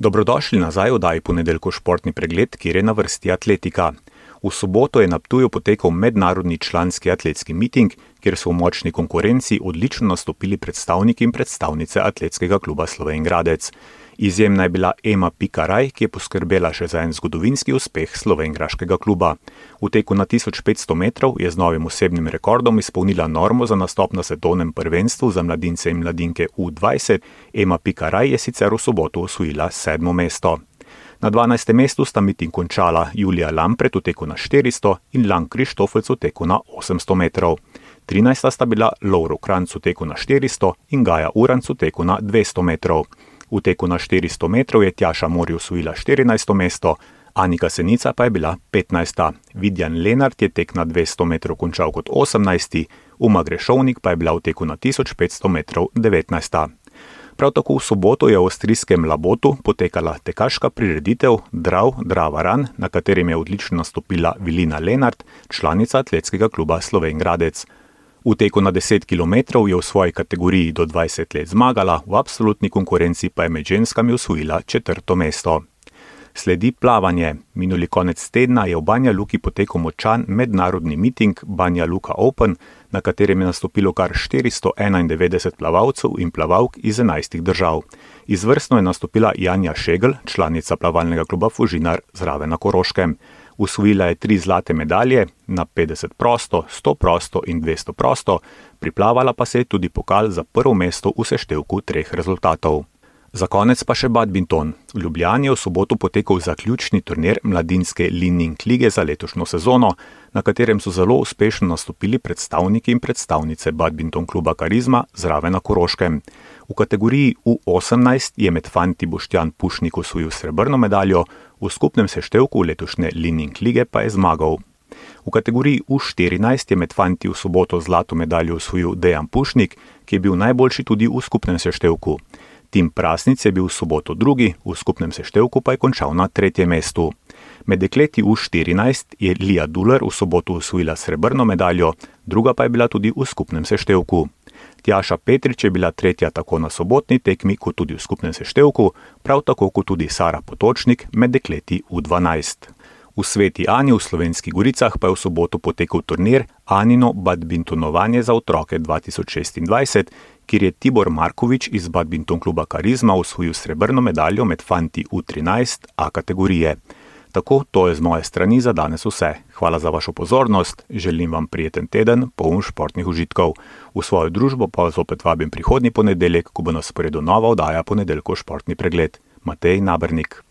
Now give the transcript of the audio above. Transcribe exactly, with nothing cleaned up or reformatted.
Dobrodošli nazaj v oddaji Ponedeljkov športni pregled, kjer je na vrsti atletika. V soboto je na Ptuju potekal mednarodni članski atletski miting, kjer so v močni konkurenci odlično nastopili predstavniki in predstavnice atletskega kluba Slovenj Gradec. Izjemna je bila Ema Pika Raj, ki je poskrbela še za en zgodovinski uspeh slovenjgraškega kluba. V teku na tisoč petsto metrov je z novim osebnim rekordom izpolnila normo za nastop na svetovnem prvenstvu za mladince in mladinke U dvajset. Ema Pika Raj je sicer v soboto osvojila sedmo mesto. Na dvanajstem mestu sta miting končala Julija Lampret v teku na štiristo in Lang Krištofec v teku na osemsto metrov. trinajsta sta bila Lovro Kranjc v teku na štiristo in Gaja Uranc v teku na dvesto metrov. V teku na štiristo metrov je Tjaša Mori osvojila štirinajsto mesto, Anika Senica pa je bila petnajsta. Vidjan Lenart je tek na dvesto metrov končal kot osemnajsti, Uma Grešovnik pa je bila v teku na tisoč petsto metrov devetnajsta. Prav tako v soboto je v avstrijskem Labotu potekala tekaška prireditev Drav Drava Run, na katerem je odlično nastopila Vilina Lenart, članica atletskega kluba Slovenj Gradec. V teku na deset kilometrov je v svoji kategoriji do dvajset let zmagala, v absolutni konkurenci pa je med ženskami osvojila četrto mesto. Sledi plavanje. Minuli konec tedna je v Banja Luki potekal močan mednarodni miting Banja Luka Open, na katerem je nastopilo kar štiristo enaindevetdeset plavalcev in plavalk iz enajstih držav. Izvrstno je nastopila Janja Šegl, članica plavalnega kluba Fužinar zraven na Koroškem. Osvojila je tri zlate medalje, na petdeset prosto, sto prosto in dvesto prosto, priplavala pa se je tudi pokal za prvo mesto v seštevku treh rezultatov. Za konec pa še badminton. V Ljubljani je v soboto potekal zaključni turnir mladinske Li-Ning lige za letošnjo sezono, na katerem so zelo uspešno nastopili predstavniki in predstavnice badminton kluba Karizma zraven na Koroškem. V kategoriji U osemnajst je med fanti Boštjan Pušnik osvojil srebrno medaljo, v skupnem seštevku letošnje Li-Ning lige pa je zmagal. V kategoriji U štirinajst je med fanti v soboto zlato medaljo osvojil Dejan Pušnik, ki je bil najboljši tudi v skupnem seštevku. Tim Prasnic je bil v soboto drugi, v skupnem seštevku pa je končal na tretjem mestu. Med dekleti U štirinajst je Lija Duler v soboto osvojila srebrno medaljo, druga pa je bila tudi v skupnem seštevku. Tjaša Petrič je bila tretja tako na sobotni tekmi kot tudi v skupnem seštevku, prav tako kot tudi Sara Potočnik med dekleti U dvanajst. V Sveti Ani v Slovenskih Goricah pa je v soboto potekal turnir Anino badmintonovanje za otroke dva tisoč šestindvajset, kjer je Tibor Markovič iz badminton kluba Karizma osvojil srebrno medaljo med fanti U trinajst A kategorije. Tako, to je z moje strani za danes vse. Hvala za vašo pozornost, želim vam prijeten teden, poln športnih užitkov. V svojo družbo pa vas opet vabim prihodnji ponedeljek, ko bo na sporedu nova oddaja Ponedeljkov športni pregled. Matej Nabernik.